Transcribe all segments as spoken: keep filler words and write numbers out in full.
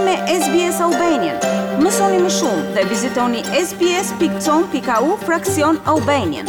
me S B S Albanian. Mësoni më shumë dhe vizitoni S B S pikë com pikë A U fraksion Albanian.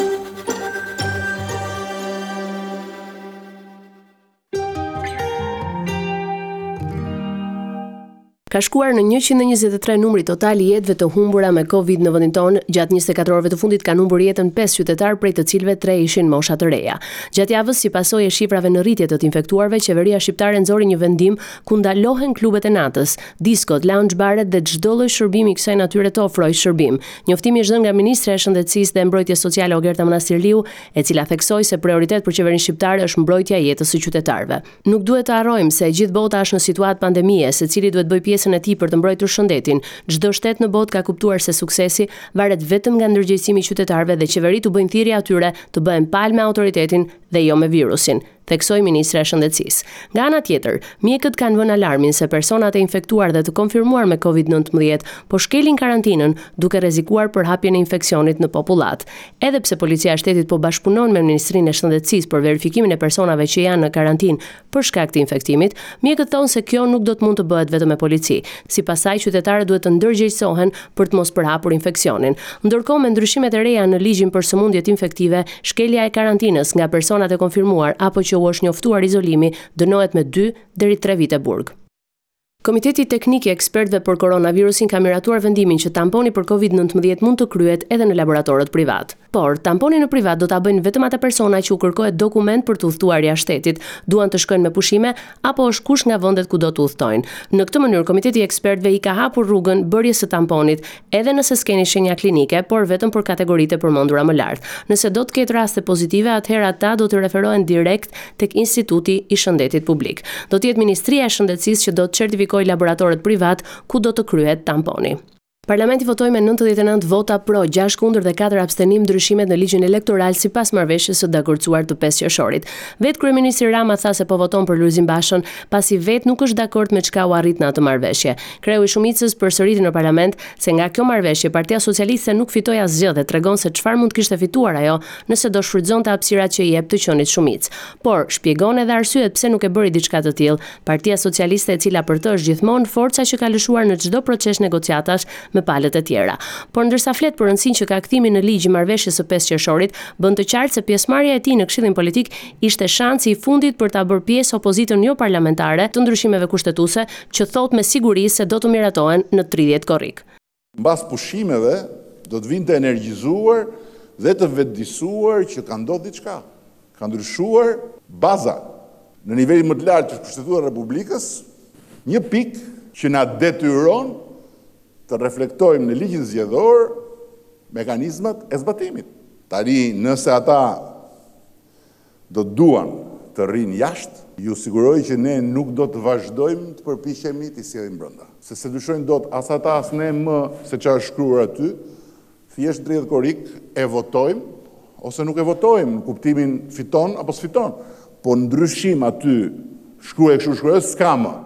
Ka shkuar në njëqind e njëzet e tre numri total i jetëve të humbura me Covid në vendin tonë. Gjatë njëzet e katër orëve të fundit kanë humbur jetën pesë qytetarë, prej të cilëve tre ishin mosha të reja. Gjatë javës, si pasojë e shifrave në rritje të të infektuarve, qeveria shqiptare nxori një vendim ku ndalohen klubet e natës, diskot, lounge baret dhe çdo lloj shërbimi kësaj natyre të ofrojë shërbim. Njoftimi është dhënë nga Ministrja e Shëndetësisë dhe Mbrojtjes Sociale Ogerta Manastirliu, e cila theksoi se prioritet për qeverinë shqiptare është mbrojtja e jetës së qytetarëve. "Nuk duhet të harrojmë se gjithë bota është në situatë pandemie, secili duhet bëjë pjesën e tij për të mbrojtur shëndetin. Çdo shtet në botë ka kuptuar se suksesi varet vetëm nga ndërgjegjësimi i qytetarëve dhe qeveritë u bëjnë thirrje atyre të bëhen palë me autoritetin dhe jo me virusin", theksoi ministrja e Shëndetësisë. Nga ana tjetër, mjekët kanë vënë alarmin se personat e infektuar dhe të konfirmuar me Covid nëntëmbëdhjetë po shkelin karantinën, duke rrezikuar përhapjen e infeksionit në popullat. Edhe pse Policia e Shtetit po bashkëpunon me Ministrinë e Shëndetësisë për verifikimin e personave që janë në karantinë për shkak të infektimit, mjekët thonë se kjo nuk do të mund të bëhet vetëm me polici. Sipas saj, qytetarët duhet të ndërgjegjësohen për të mos përhapur infeksionin. Ndërkohë, me ndryshimet e reja në ligjin për sëmundjet infektive, shkelja e karantinës nga personat e konfirmuar apo që u është njoftuar izolimi dënohet me dy deri tre vite burg. Komiteti Teknik i Ekspertëve për Koronavirusin ka miratuar vendimin që tamponi për Covid nëntëmbëdhjetë mund të kryhet edhe në laboratorët privat. Por, tamponin në privat do ta bëjnë vetëm ata persona që u kërkohet dokument për të udhëtuar jashtë shtetit, duan të shkojnë me pushime apo është kush nga vendet ku do të udhëtojnë. Në këtë mënyrë, Komiteti i Ekspertëve i ka hapur rrugën bërjes së tamponit, edhe nëse s'keni shenja klinike, por vetëm për kategoritë e përmendura më lart. Nëse do të ketë raste pozitive, atëherë ata do të referohen direkt tek Instituti i Shëndetit Publik. Do të jetë Ministria e Shëndetësisë që do të certifikojë laboratorët privat ku do të kryhet tamponi. Parlamenti votoi me nëntëdhjetë e nëntë vota pro, gjashtë kundër dhe katër abstenim ndryshimet në ligjin elektoral sipas marrëveshjes së dakordsuar të pesë qershorit. Vetë kryeministri Rama tha se po voton për Lulzim Bashën, pasi vetë nuk është dakord me çka u arrit në atë marrëveshje. Kreu i shumicës përsëriti në parlament se nga kjo marrëveshje Partia Socialiste nuk fitoi asgjë dhe tregon se çfarë mund të kishte fituar ajo nëse do shfrytëzonte hapësirat që i jep të qenit shumicë. Por shpjegon edhe arsyet pse nuk e bëri diçka të tillë. Partia Socialiste, e cila për të është gjithmonë forca që ka lëshuar në çdo proces negociatash me palët e tjera. Por ndërsa flet për rëndësinë që ka kthimi në ligj i marrëveshjes së pesë qershorit, bën të qartë se pjesëmarrja e tij në Këshillin Politik ishte shansi i fundit për ta bërë pjesë opozitën jo parlamentare të ndryshimeve kushtetuese që thot me siguri se do të miratohen në tridhjetë korrik. Mbas pushimeve do të vinë të energjizuar dhe të vetëdijsuar që ka ndodhur diçka. Ka ndryshuar baza në nivelin më të lartë të Kushtetutës së Republikës, një pikë që na detyron të reflektojmë në ligjin zgjedhor mekanizmat e zbatimit. Tani, nëse ata do të duan të rrinë jashtë, ju siguroj që ne nuk do të vazhdojmë të përpiqemi t'i sjellim brenda. Se se dyshojnë dot as ata as ne më se çfarë është shkruar aty, thjesht tridhjetë korrik e votojmë ose nuk e votojmë, në kuptimin fiton apo s'fiton. Po ndryshim aty shkruaj kështu shkruaj s'ka më.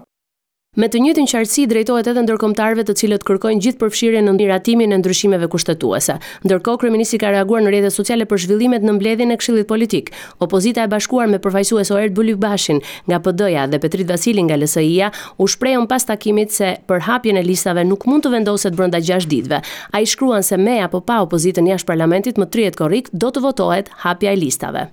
Me të njëjtën qartësi drejtohet edhe ndërkombëtarëve, të cilët kërkojnë gjithë përfshirjen në miratimin e ndryshimeve kushtetuese. Ndërkohë, kryeministri ka reaguar në rrjetet sociale për zhvillimet në mbledhjen e Këshillit Politik. Opozita e bashkuar me përfaqësues Oerd Bylykbashin nga P D-ja dhe Petrit Vasilin nga L S I-ja u shprehën pas takimit se për hapjen e listave nuk mund të vendoset brenda gjashtë ditëve. Ai shkruan se me apo pa opozitën jashtë parlamentit, më tridhjetë korrik do të votohet hapja e listave.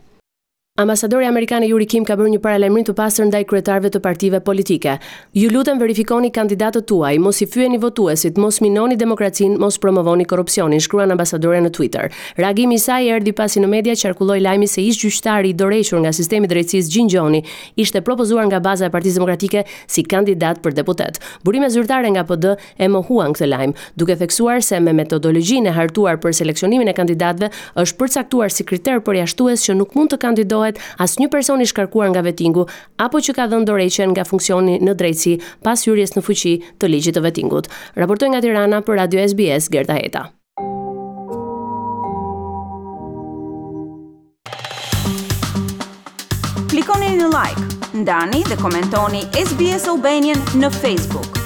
Ambasadori amerikan Yuri Kim ka bërë një paralajmërim të pastër ndaj kryetarëve të partive politike. "Ju lutem verifikoni kandidatët tuaj, mos i fyeni votuesit, mos minoni demokracinë, mos promovoni korrupsionin", shkruan ambasadorja në Twitter. Reagimi i saj erdhi pasi në media qarkulloi lajmi se ish gjyqtari i dorëhequr nga sistemi i drejtësisë Gjin Gjoni ishte propozuar nga baza e Partisë Demokratike si kandidat për deputet. Burime zyrtare nga P D e mohuan këtë lajm, duke theksuar se me metodologjinë e hartuar për seleksionimin e kandidatëve është përcaktuar si kriter përjashtues që nuk mund të kandidohet asnjë person i shkarkuar nga vetingu apo që ka dhënë dorëheqjen nga funksioni në drejtësi pas hyrjes në fuqi të ligjit të vetingut. Raportoi nga Tirana për Radio S B S Gerta Heta. Klikoni në like, ndani dhe komentoni S B S Albanian në Facebook.